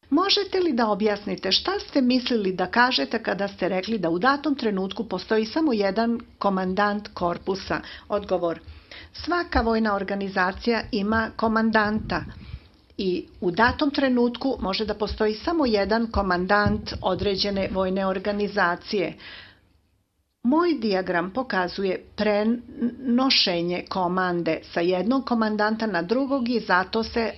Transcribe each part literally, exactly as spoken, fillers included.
Možete li da objasnite šta ste mislili da kažete kada ste rekli da u datom trenutku postoji samo jedan komandant korpusa? Odgovor. Svaka vojna organizacija ima komandanta i u datom trenutku može da postoji samo jedan komandant određene vojne organizacije. Moj dijagram pokazuje prenošenje komande sa jednog komandanta na drugog i zato se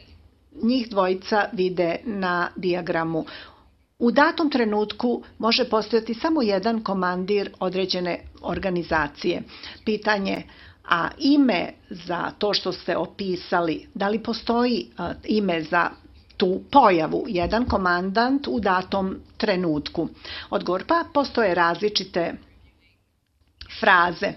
njih dvojica vide na dijagramu. U datom trenutku može postojati samo jedan komandir određene organizacije. Pitanje, a ime za to što ste opisali, da li postoji ime za tu pojavu, jedan komandant u datom trenutku? Odgovor, pa postoje različite fraze.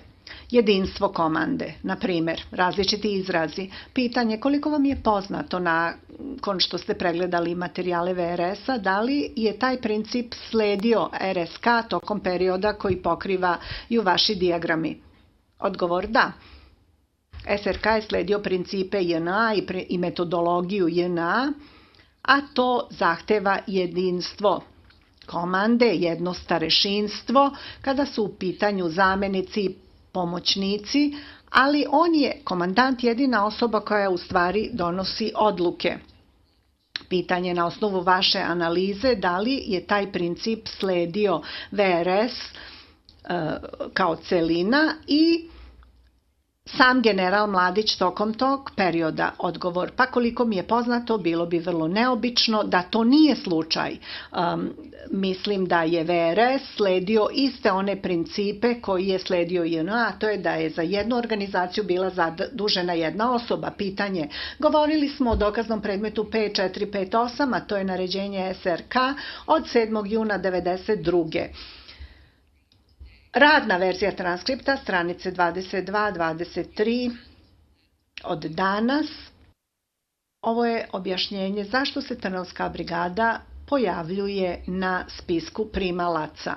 Jedinstvo komande, na primjer, različiti izrazi. Pitanje, koliko vam je poznato nakon što ste pregledali materijale V R S-a, da li je taj princip sledio R S K tokom perioda koji pokrivaju vaši dijagrami? Odgovor, da. S R K je sledio principe J N A i metodologiju J N A, a to zahteva jedinstvo komande, jedno starešinstvo, kada su u pitanju zamenici i pomoćnici, ali on je komandant jedina osoba koja u stvari donosi odluke. Pitanje na osnovu vaše analize, da li je taj princip sledio V R S e, kao celina i sam general Mladić tokom tog perioda? Odgovor, pa koliko mi je poznato, bilo bi vrlo neobično da to nije slučaj. Um, mislim da je V R S sledio iste one principe koji je sledio J N A, a to je da je za jednu organizaciju bila zadužena jedna osoba. Pitanje, govorili smo o dokaznom predmetu P četiri pet osam, a to je naređenje S R K od sedmog juna devedeset druge. Radna verzija transkripta, stranice dvadeset dva dvadeset tri od danas. Ovo je objašnjenje zašto se Trnovska brigada pojavljuje na spisku primalaca.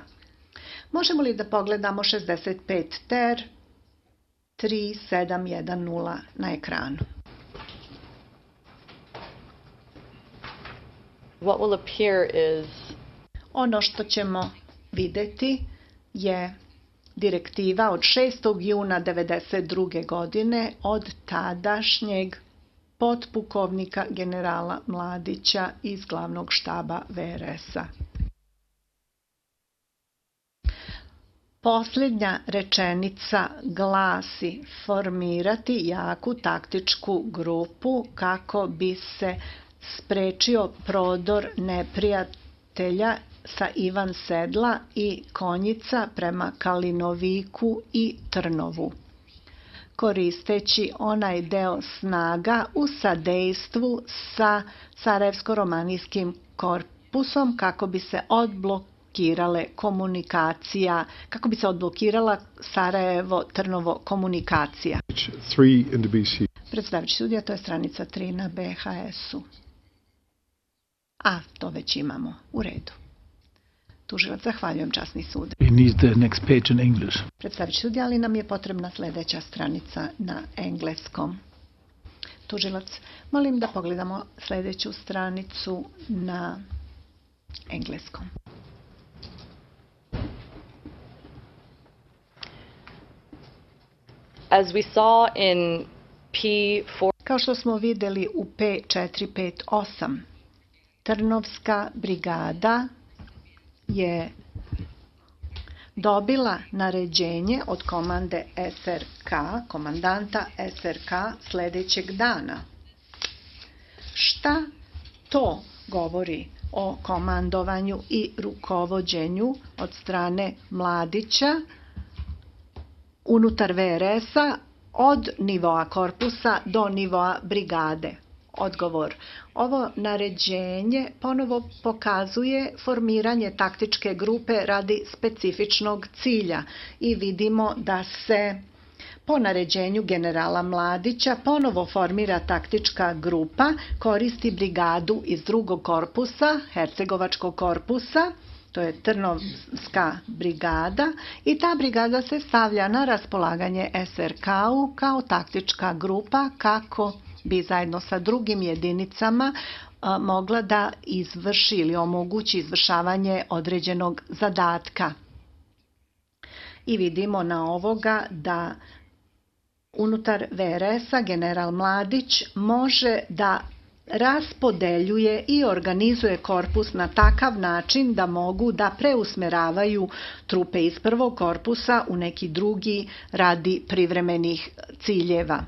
Možemo li da pogledamo šezdeset pet ter tri sedam jedan nula na ekranu? What will appear is... Ono što ćemo videti je direktiva od šestog juna devedeset druge godine od tadašnjeg potpukovnika generala Mladića iz glavnog štaba V R S-a. Posljednja rečenica glasi formirati jaku taktičku grupu kako bi se sprečio prodor neprijatelja sa Ivan Sedla i Konjica prema Kalinoviku i Trnovu, koristeći onaj deo snaga u sadejstvu sa Sarajevsko-romanijskim korpusom kako bi se odblokirale komunikacija, kako bi se odblokirala Sarajevo-Trnovo komunikacija. Predstavljajući sudija, to je stranica tri na B H S-u. A, to već imamo. U redu. Tužilac, zahvaljujem, časni sud. Predstavljajući sudija, ali nam je potrebna sljedeća stranica na engleskom. Tužilac, molim da pogledamo sljedeću stranicu na engleskom. As we saw in P four... Kao što smo vidjeli u P četiri pet osam, Trnovska brigada je dobila naređenje od komande S R K, komandanta S R K, sljedećeg dana. Šta to govori o komandovanju i rukovođenju od strane Mladića unutar V R S-a od nivoa korpusa do nivoa brigade? Odgovor. Ovo naređenje ponovo pokazuje formiranje taktičke grupe radi specifičnog cilja i vidimo da se po naređenju generala Mladića ponovo formira taktička grupa, koristi brigadu iz drugog korpusa, Hercegovačkog korpusa, to je Trnovska brigada, i ta brigada se stavlja na raspolaganje S R K-u kao taktička grupa kako bi zajedno sa drugim jedinicama a, mogla da izvrši ili omogući izvršavanje određenog zadatka. I vidimo na ovoga da unutar V R S-a general Mladić može da raspodeljuje i organizuje korpus na takav način da mogu da preusmeravaju trupe iz prvog korpusa u neki drugi radi privremenih ciljeva.